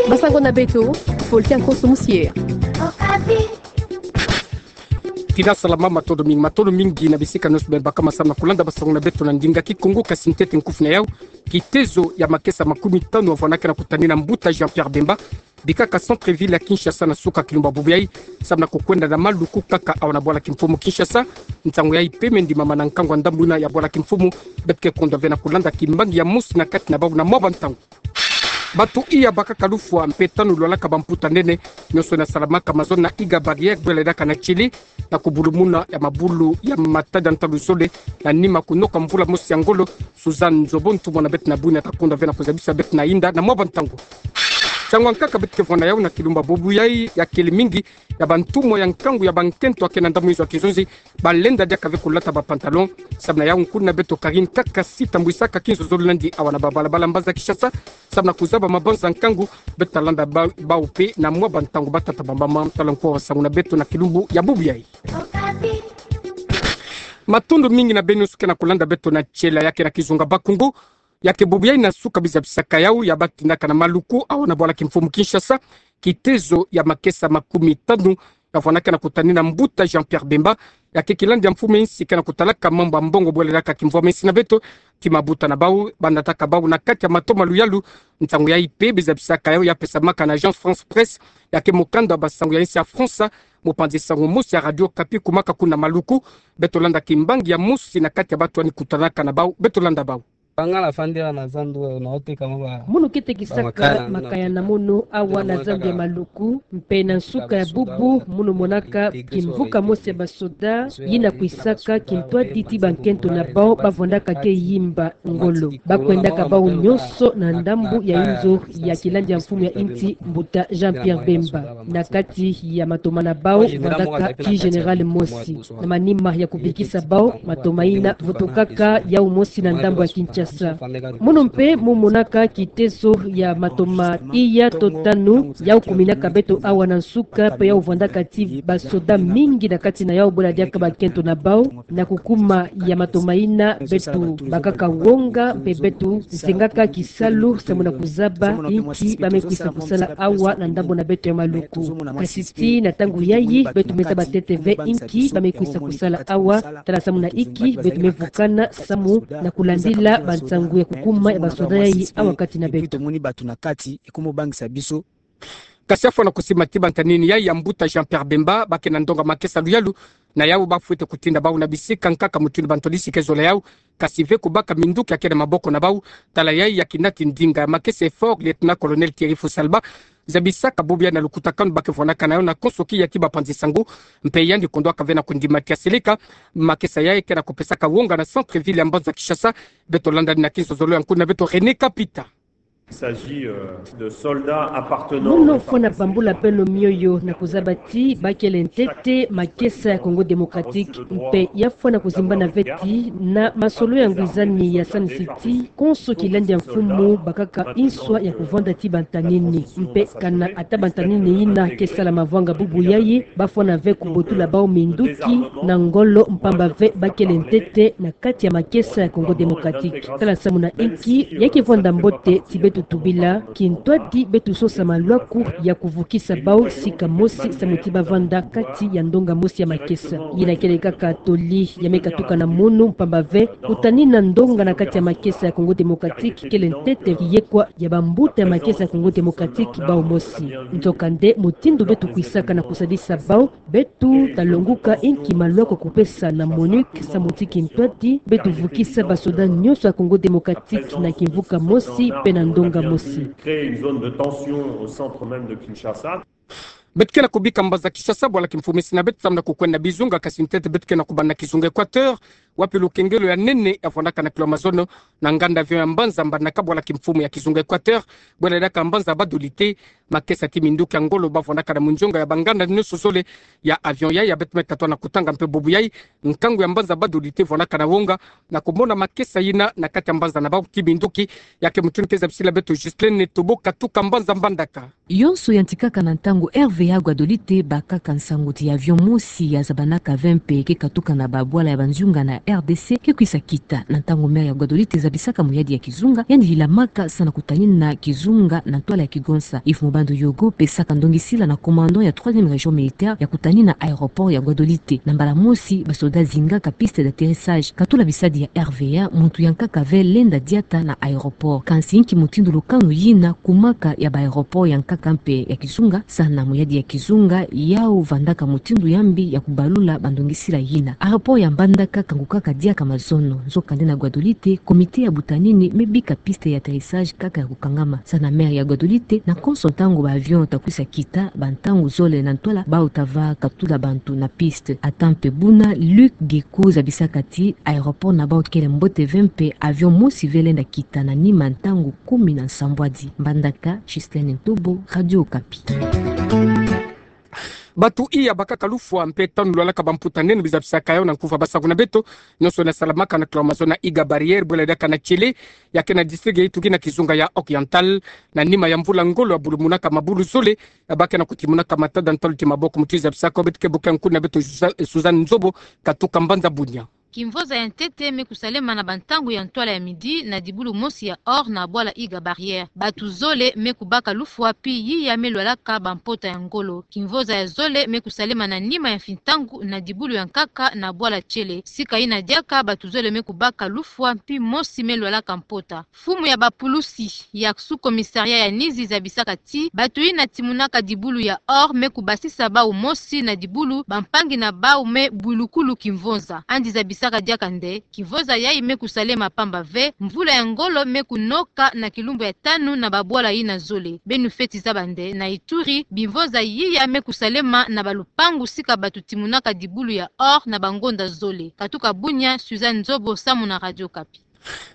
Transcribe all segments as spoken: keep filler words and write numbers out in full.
Basango na beto, fo ti a konso musier. Kina salama, matondo mingi, matondo mingi na bisika nionso beno baka masamu na kulanda basango na beto na ndinga Kikongo. Kasi ntete nkufi na yau, kitezo ya makesa makumi tanu avwanaka na kutanina mbuta Jean-Pierre Bemba, bikaka centre-ville ya Kinshasa na suka kilumbu bubu yai, samu na kukwenda na maluku kaka awa na bwala kimfumu Kinshasa. Ntangu yai pe me ndimama na nkangu a ndambu ina ya bwala kimfumu, beto ke kondwa ve na kulanda kimbangi ya mosi na kati na bau na mwa bantangu. Bato iya bakaka lufwa mpe tanu lwalaka bamputa nene, nionso ina salamaka mazono na iga barrière bwela idaka na Tchili, na kubulumuna ya mabulu ya matadi ya ntalu zole, na nima kunoka mvula mosi ya ngolo. Suzanne Nzobontu, mwana beto na bwina, ta kondwa ve na kuzabisa beto na inda na mwa bantangu. Ntiangu ankaka beto ke vwanda yau na kilumbu bubu yai, ya kele mingi ya bantumwa ya nkangu ya bankento akena ndambu inzo ya kizonzi, balenda diaka ve kulata bapantalon. Samu na yau, nkuna beto Karine Kakasi tambwisaka kinzozolo nandi awa na babalabala mbanza Kinshasa, samu na kuzaba mabanza nkangu. Beto ta landa ba-, bau pe na mwa bantangu. Batata, bamama, tala nko basango na beto na kilumbu ya bubu yai. Matondo mingi na beno nionso ke na kulanda beto na tiela ya ke na kizunga Bakongo. Ya ke bubu yai na suka bizabisaka yau ya batindaka na maluku awa na bwala kimfumu Kinshasa, kitezo ya makesa makumi tanu ya vwanaka na kutanina mbuta Jean-Pierre Bemba. Ya ke kilandi ya mfumu ya insi ke na kutalaka mambu ya mbongo bwela idaka kimvwama insi na beto, ki mabuta na bau, banataka bau na kati ya matoma luyalu. Ntangu yai pe bizabisaka yau ya pesamaka na Agence France Presse, ya ke mukanda wa basango ya insi ya France, mopanzi sango mosi ya Radio Okapi kumaka kuna maluku. Beto landa kimbangi ya mosi na kati ya bato yandi kutanaka na bau. Beto landa bau. Bangala fandela na zandu, na oteka mwa ba-, munu ke tekisaka makaya na munu awa na zandu ya maluku, mpe na nsuka ya bubu munu monaka kimvuka mosi ya basoda yina kwisaka kintwadi ti bankento na bau bavwandaka ke yimba ngolo. Bakwendaka bau nionso na ndambu ya inzo ya kilandi ya mfumu ya insi, mbuta Jean-Pierre Bemba. Na kati ya matoma na bau vwandaka ki général mosi. Na manima ya kubikisa bau, matoma ina vutokaka yau mosi na ndambu ya Kinshasa. Munu mpe mu monaka kitezo ya matoma iya to tanu yau kuminaka beto awa na nsuka, mpe yau vwandaka ti basoda mingi na kati na yau bwela diaka bankento na bau. Na kukuma ya matoma ina, beto bakaka wonga mpe beto zengaka kisalu samu na kuzaba inki ba me kwisa kusala awa na ndambu na beto ya maluku. Kasi tii na ntangu yayi beto me zaba ntete ve inki ba me kwisa kusala awa, tala samu na inki beto me vukana samu na kulandila bansangu ya kukuma ya basoda yayi awa kati na beto. Tomoni bato na kati, ekomi kobangisa biso. Kasi afwana kusimba ti bantanini yayi ya mbuta Jean-Pierre Bemba, ba ke na ndonga makesa luyalu na yau bafwete kutinda bau na bisika nkaka mutindu bantu ya lisika ezola yau, kasi ve kubaka minduki ya ke na maboko na bau. Tala yayi ya kinati ndinga ya makesa effort, lieutenant-colonel Thierry Fussalba zabisaka bubu yai na lukutakanu ba ke vwanaka na yau na konso kiya ti bapanzi sango. Mpe yandi kondwaka ve na kundima ti ya seleka makesa yayi ke na kupesaka wonga na centre-ville ya mbanza Kinshasa. Beto landa na kinzozolo ya nkuna beto René Kapita. Il s'agit, euh, de soldats appartenant. Munu fwana bambula beno mioyo na kuzaba ti ba kele ntete makesa ya Congo Démocratique, mpe ya fwana kuzimbana ve ti na masolo ya ngwizani ya sanisiti, konso kilandi ya mfumu bakaka inswa ya kuvwanda ti bantanini. Mpe kana ata bantanini ina ke sala mavwanga bubu yayi, ba fwana ve kubotula bau minduki na ngolo, mpamba ve ba kele ntete na kati ya makesa ya Congo Démocratique. Tala samu na inki ya ke vwanda mbote ti beto tubila kintwadi beto sosa malwaku ya kuvukisa bau sika mosi samu ti ba vanda kati ya ndonga mosi ya makesa. Yina kele kaka toli ya me katuka na munu, mpamba ve kutanina ndonga na kati ya makesa ya Congo Démocratique kele ntete kiyekwa ya bambuta ya makesa ya Congo Démocratique bau mosi. Nzokande mutindu beto kwisaka na kusadisa bau, beto ta longuka inki malwaku ya kupesa na MONUC samu ti kintwadi beto vukisa basoda nyonso ya Congo Démocratique na kimvuka mosi mpe na ndonga mosi. Créer une zone de tension au centre même de Kinshasa. Beto ke na kubika mbanza Kinshasa, bwala kimfumu esi na beto, samu na kukwenda bizunga, kasi ntete beto ke na kubanda na kizunga Équateur, wapi lukengelo ya nene ya vwandaka na kilo ya mazono na nganda avion ya mbanza mbandaka bwala kimfumu ya kizunga Équateur, bwela diaka mbanza Bad-Olite. Makesa ti minduki ya ngolo ba vwandaka na munzonga ya banganda nyonso zole ya avion yayi ya beto me katuka na kutanga mpe bubu yayi, nkangu ya mbanza Bad-Olite vwandaka na wonga na kumona makesa yina na kati ya mbanza na bau ti minduki. Ya ke mutindu ke zabisila beto Justine Netobo katuka mbanza mbandaka. Yonso yantikaka na ntangu R V A Guadolite bakaka nsangu ti avion mosi ya zabanaka ve mpe ke katuka na babwala ya banzunga na R D C ke kwisa kita. Na ntangu maire ya Guadolite zabisaka muyadi ya kizunga, yandi lilamaka sa na kutanina kizunga na ntwala ya kigonsa. Ifumu Bandoyogo pesaka ndongisila na commandant ya troisième région militaire ya kutani na aéroport ya Guadolite. Na mbala mosi, basoda zingaka piste d'atterrissage. Katula bisadi ya R V A, muntu ya nkaka ve lenda diata na aéroport. Kansi inki mutindu lukanu yina kumaka ya ba aéroport ya nkaka mpe ya kizunga? Sana muyadi ya kizunga, yau vandaka mutindu ya mbi ya kubalula bandongisila yina. Aéroport ya Mbandaka kangukaka diaka mazono. Nzokande na Guadolite, comité ya butanini me bika piste ya atterrissage kaka ya kukangama. Sana maire ya Guadolite, na konso ntangu ba avion ta kwisa kita, ba ntangu zole na ntwala, bau ta va katula bantu na piste. Ata mpe buna, Luc Geku zabisaka ti aéroport na bau kele mbote ve mpe avion mosi ve lenda kita na nima ntangu kumi na nsambwadi. Mbandaka, Justine Ntobo, Radio Okapi. Bantu iya bakaka lufwa mpe tanu lwalaka bamputa nene bizabisaka yau na nkufa basaku na beto, nionso na salamaka na kilalo mazono Iga Barrière, bwela diaka na Tiele, ya ke na district ya Itugi na kizunga ya Oriental, na nima ya mvula ngolo ya bulumunaka mabulu zole, ya ba ke na kutimunaka matada ntalu ti maboko muti zabisaka beto ke buke nkuna beto Suza-, Suzanne Nzobo, katuka mbanza bunia. Kimvoza ya ntete me kusalema na bantangu ya ntwala ya midi na dibulu mosi ya Or na bwala Iga Barrière. Bantu zole me kubaka lufwa pi yiya me lwalaka bampota ya ngolo. Kimvoza ya zole me kusalema na nima ya fintangu na dibulu ya nkaka na bwala Tiele. Sika yina diaka bantu zole me kubaka lufwa pi mosi me lwalaka mpota. Mfumu ya bapulusi ya sous-commissariat ya Nizi zabisaka ti bantu yina timunaka dibulu ya Or me kubasisa bau mosi na dibulu, bampangi na bau me bwilukulu kimvoza. Andi zabisaka diaka nde kimvoza yayi me kusalema pamba ve, mvula ya ngolo me kunoka na kilumbu ya tanu na babwala yina zole. Beno fweti zaba nde na Ituri, bimvoza yiya me kusalema na balupangu sika bantu timunaka dibulu ya Or na bangonda zole. Katuka bunia, Suzanne Nzobo, samu na Radio Okapi.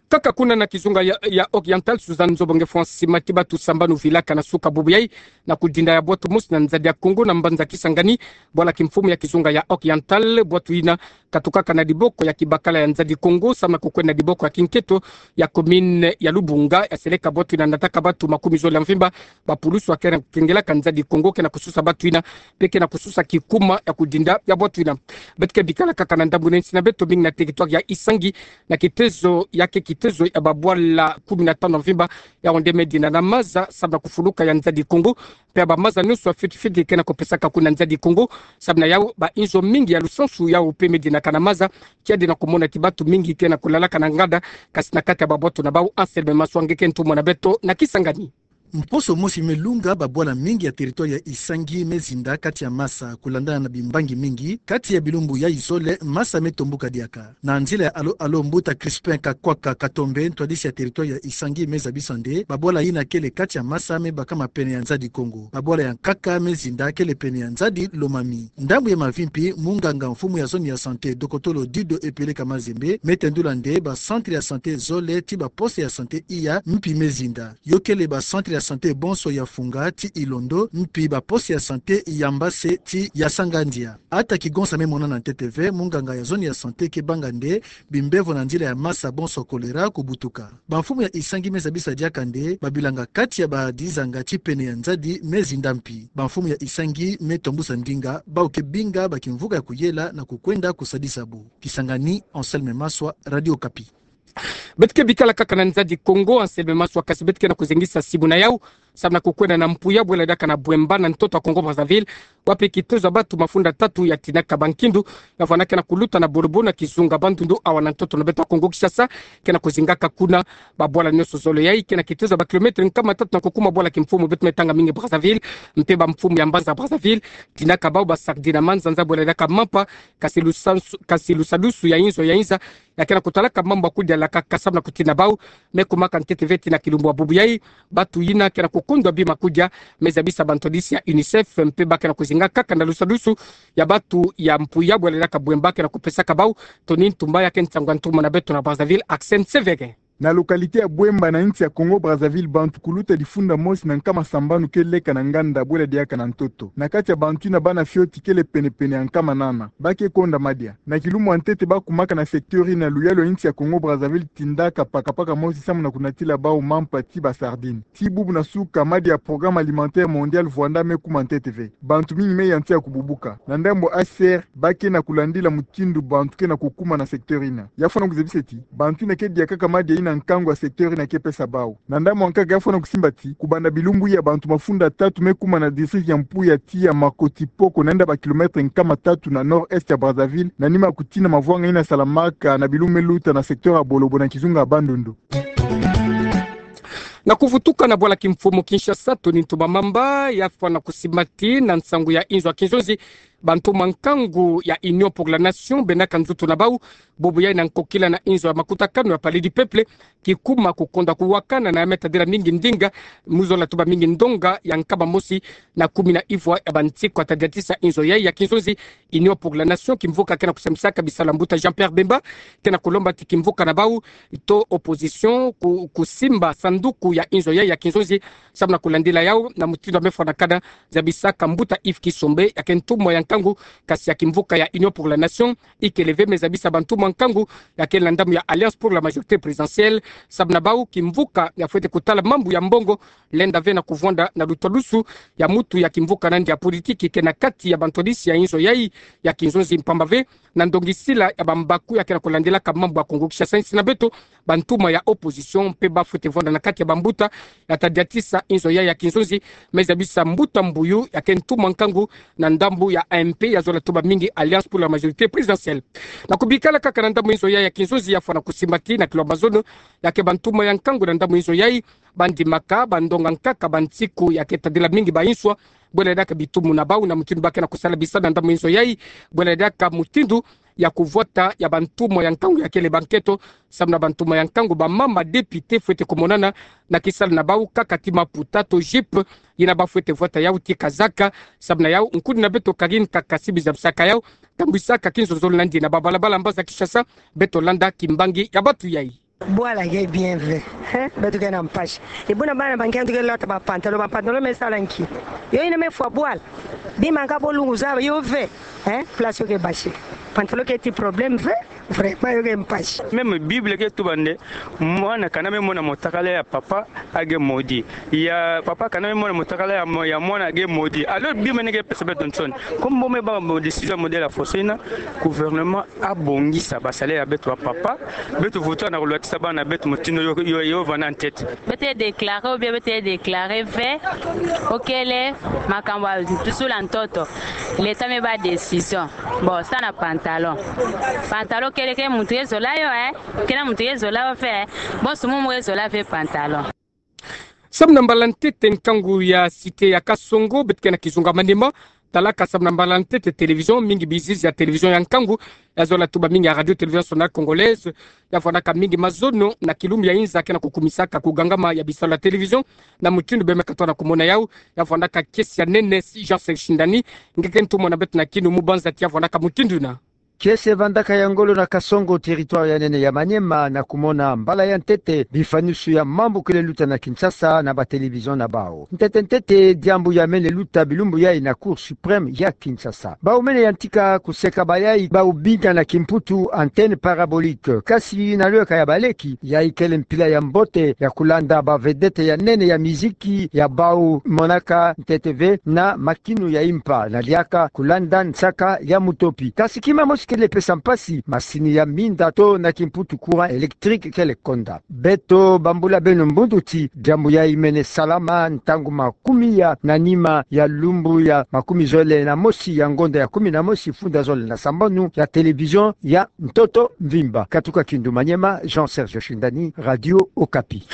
Kaka kuna na kizunga ya, ya Oriental, Suzanne Nzobo nge fwa sima ti bantu sambanu vilaka na suka bubu yayi, na kudinda ya bwatu mosi na nzadi ya Kongo na mbanza Kisangani, bwala kimfumu ya kizunga ya Oriental, bwatu yina katukaka na diboko ya kibakala ya nzadi Kongo, samu na kukwenda na diboko ya kinketo ya commune ya Lubunga, ya seleka bwatu yina nataka bantu makumi zole ya mvimba, bapulusu ya ke na kengelaka nzadi Kongo, ke na kususa bantu yina, mpe ke na kususa kikuma ya kudinda ya bwatu yina. Beto ke bikala kaka na ndambu na insi na beto, mingi na territoire ya Isangi, na kitezo ya ke kitezo ya babwala kumi na tanu ya mvimba, yau nde me dina na maza, samu na kufuluka ya nzadi Kongo, mpe ya bamaza nionso ya fioti fioti ke na kupesaka kuna nzadi Kongo, samu na yau bainzo mingi ya lusansu yau mpe me dinaka na maza, kiadi na kumona ti bantu mingi ke na kulalaka na nganda, kasi na kati ya babwatu na bau. Anselme Maswa nge ke ntumwa na beto na Kisangani. Mposo mosi me lunga, babwala mingi ya territoire ya Isangi me zinda kati ya masa, kulandana na bimbangi mingi, kati ya bilumbu yayi zole, masa me tombuka diaka. Na nzila ya alo alo, mbuta Crispin Kakwaka Katombe, ntwadisi ya territoire ya Isangi, me zabisa nde babwala yina kele kati ya masa me bakama pene ya nzadi Kongo. Babwala ya nkaka me zinda kele pene ya nzadi Lomami. Ndambu ya mavimpi, munganga mfumu ya zone ya santé, dokotolo Dido Epeleka Mazembe, me tendula nde ba centre ya santé zole ti ba poste ya santé iya mpi me zinda. Yo kele ba centre ya santé bonso ya Funga ti Ilondo, mpi ba poste ya santé ya Mbase ti ya Sangandia. Ata kigonsa me monana ntete ve, munganga ya zone ya santé ke banga nde bimbevo na nzila ya masa bonso choléra kubutuka. Bamfumu ya Isangi me zabisa diaka nde babilanga kati ya badizanga ti pene ya nzadi me zinda mpi. Bamfumu ya Isangi me tombusa ndinga bau ke binga bakimvuka ya kuyela na kukwenda kusadisa bo. Kisangani, Anselme Maswa, Radio Okapi. Beto ke bikala kaka na nzadi Kongo, Anselme Maswa, kasi beto ke na kuzengisa simu na yau, samu na kukwenda na Mpuya, bwela diaka na Bouemba, na ntoto ya Congo Brazzaville, wapi kitezo ya bantu mafunda tatu ya tinaka bankindu, ya vwanda ke na kuluta na Borobo na kizunga Bandundu, awa na ntoto na beto ya Kongo Kinshasa, ke na kuzingaka kuna. Babwala nionso zole yayi ke na kitezo ya ba kilomètre nkama tatu na kukuma bwala kimfumu beto me tanga mingi Brazzaville, mpe bamfumu ya mbanza Brazzaville, tinaka bau ba sardine na manzanza, bwela diaka mampa, kasi lusansu-, kasi lusadusu ya inzo ya inza, ya ke na kutalaka mambu ya kudialaka, samu na kutina bau. Me kumaka ntete ve ti na kilumbu ya bubu yayi, bantu yina ke na kukundwa bima kudia, me zabisa bantwadisi ya UNICEF, mpe ba ke na kuzinga kaka na lusadusu ya bantu ya Mpuya, bwela diaka Bouemba, ke na kupesaka bau. Tony Ntumba, ya ke nsangu ya ntumwa na beto na Brazzaville, Axel Nsevere. Na localité ya Bouemba na insi ya Congo Brazzaville, bantu kuluta difunda mosi na nkama sambanu ke leka na nganda, bwela diaka na ntoto. Na kati ya bantu yina, bana fioti kele penepene ya nkama nana. Ba ke konda madia. Na kilumbu ya ntete ba kumaka na secteur yina, luyalu ya insi ya Congo Brazzaville tindaka pakapaka mosi samu na kunatila bau mampa ti ba sardine. Ti bubu na suka, madia ya Programme Alimentaire Mondial vwanda me kuma ntete ve. Bantu mingi me yantika kububuka. Na ndambu ya H C R, ba ke na kulandila mutindu bantu ke na kukuma na secteur yina. Ya fwana kuzebisa ti bantu yina ke dia kaka madia yina nkangu ya secteur ina ke pesa bau. Na ndambu ya nkaka ya fwana kusimba ti, kubanda bilumbu ya bantu mafunda tatu me kuma na district ya Mpuya tii ya Makoti Poko, na yinda ba kilomètre nkama tatu na nord-est ya Brazzaville, na nima kutina mavwanga ina salamaka na bilumbu me luta na secteur ya Bolobo na kizunga ya Bandundu. Na kuvutuka na bwala kimfumu Kinshasa, Tony Ntumba Mamba ya fwana kusimba ti na nsangu ya inzo ya kinzonzi, bantumwa nkangu ya Union pour la Nation benaka nzutu na bau, bubu yai na nkokila na inzo ya makutakanu ya Palais du Peuple, ki kuma kukonda kuwakana na ya me tadila mingi ndinga, mu zola tuba mingi ndonga ya nkama mosi na kumi na ivwa ya bansiku. Ata diatisa inzo yai ya kinzonzi, Union pour la Nation, kimvuka ke na kusambisaka bisalu ya mbuta Jean-Pierre Bemba, ke na kulomba ti kimvuka na bau to opposition ku, kusimba sanduku ya inzo yai ya kinzonzi, samu na kulandila yau na mutindu ya me fwanakana, zabisaka mbuta Yves Kisombe, ya ke ntumwa ya nkangu, kasi ya kimvuka ya Union pour la Nation, ikele ve, me zabisa bantumwa nkangu ya ke na ndambu ya Alliance pour la Majorité Présidentielle, samu na bau kimvuka ya fwete kutala mambu ya mbongo, lenda ve na kuvwanda na lutwadusu ya mutu ya kimvuka nandi ya politiki ke na kati ya bantwadisi ya inzo yai ya kinzonzi, mpamba ve na ndongisila ya bambaku ya ke na kulandilaka mambu ya Congo Kinshasa, insi na beto bantumwa ya opposition mpe ba fwete vwanda na kati ya bambuta ya tadiatisa inzo yai ya kinzonzi, me zabisa mbuta Mbuyu ya ke ntumwa nkangu na ndambu ya A M P, ya zola tuba mingi Alliance pour la Majorité Présidentielle. Na kubikala kaka na ndambu inzo yai ya kinzonzi, ya fwana kusimba ti na kilomba zono ya ke bantumwa ya nkangu na ndambu inzo yai, bandimaka bandonga nkaka bansiku ya ke tadila mingi ba inswa, bwela diaka bitumu na bau na mutindu ba ke na kusala bisalu na ndambu inzo yai, bwela diaka mutindu ya kuvwata ya bantumwa ya nkangu ya kele ba nketo, samu na bantumwa ya nkangu, bamama député fwete kumonana na kisalu na bau kaka ti maputa to jupe, yina ba fwete vwata yau ti kazaka, samu na yau nkuni na beto Karine Kakasi bi zabisaka yau, tambwisaka kinzonzolo nandi na babalabala mbanza Kinshasa, beto landa kimbangi ya batu yai. Bwala ke bien ve, hein? Beto ke na mpasi. E buna bana ba nge ntu ke lota ba pantalon, ba pantalon me sala nki? Yo yina me fwa bwala. Bima nga bo lungu zaba yo ve, hein? Place yo ke basi. Pantalon ke ti problème ve, vraiment yo ke mpasi. Même Bible ke tuba nde, mwana kana me mona motakala ya papa, age maudit. Ya papa kana me mona motakala ya mo-, ya mwana, age maudit. Alors Bible neke pesa beto nsoni. Comme bo me bâ mo décision modèle ya foso yina, gouvernement abongisa ba salaire ya beto ba papa, beto vutuka na kulwatisa bana beto mutindu yo, yo, yo vanda en tête. Beto ye déclarer ou bien beto ye déclarer ve, okele makambu ya ntusula ntoto. L'État me bâ décision. Bon, sa na pantalon. Pantalon kele ke muntu ye zola yo, eh? Kele muntu ye zola yo ve, eh? Bon, sumu mu ye zola ve pantalon. Samu na mbala ntete nkangu ya cité ya Kasongo, beto ke na kizunga Maniema, talaka samu na mbala ntete télévision, mingi bizizi ya télévision ya nkangu, ya zola tuba mingi ya Radio Télévision Nationale Congolaise, ya vwandaka mingi mazono na kilumbu ya inza ke na kukumisaka kugangama ya bisalu ya télévision, na mutindu bie me katoa na kumona yau, ya vwandaka kiese ya nene, si Jean Serge Shindani, nge ke ntumwa na beto na kinu mu banza ti ya vwandaka mutindu yina. Kiese vandaka ya ngolo na Kasongo, territoire ya nene ya Maniema, na kumona mbala ya ntete bifanusu ya mambu kele luta na Kinshasa na ba télévision na bau. Ntete ntete, diambu ya mene luta bilumbu yai na Cour suprême ya Kinshasa. Bau mene yantika kuseka ba yai bau binga na kimputu antenne parabolique. Kasi na lweka ya baleki, yai kele mpila ya mbote ya kulanda ba vedette ya nene ya miziki ya bau monaka ntete ve na makinu ya impa na diaka kulanda nsaka ya mutopi. Kasi kima mosi kele pesa mpasi, masini ya minda to na kimputu, courant électrique kele konda. Beto bambula beno mbundu ti diambu yai mene salama ntangu makumia na nima ya lumbu ya makumi zole na mosi ya ngonda ya kumi na mosi funda zole na sambanu ya télévision ya ntoto mvimba. Katuka Kindu Maniema, Jean Serge Shindani, Radio Okapi.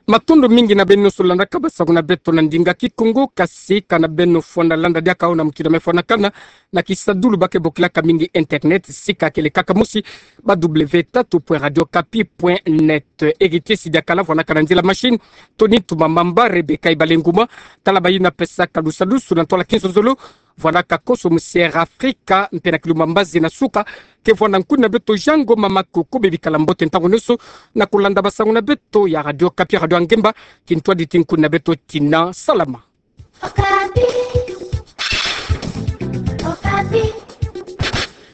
Matondo mingi na beno nyonso landaka basangu na beto na ndinga Kikongo, kasi kana beno fwana landa diaka yau na mutindu me fwanakana na kisadulu ba ke bokilaka mingi internet, sika kele kaka mosi, ba w tatu point radio okapi point net. Héritier Sidiakala vwandaka na nzila machine, Tony Ntumba Mamba, Rebecca Ibalenguma, tala bayina pesaka lusadusu na ntwala kinzonzolo, vwandaka koso mu Sierra Africa, mpe na kilumbu mbazi na suka, ke vwanda nkuni na beto Jean Ngoma Makoko, bebikala mbote ntangu nyonso na kulanda basangu na beto ya Radio Okapi, radio ya ngemba, kintwaditi nkuni na beto tina salama. Okapi. Okapi.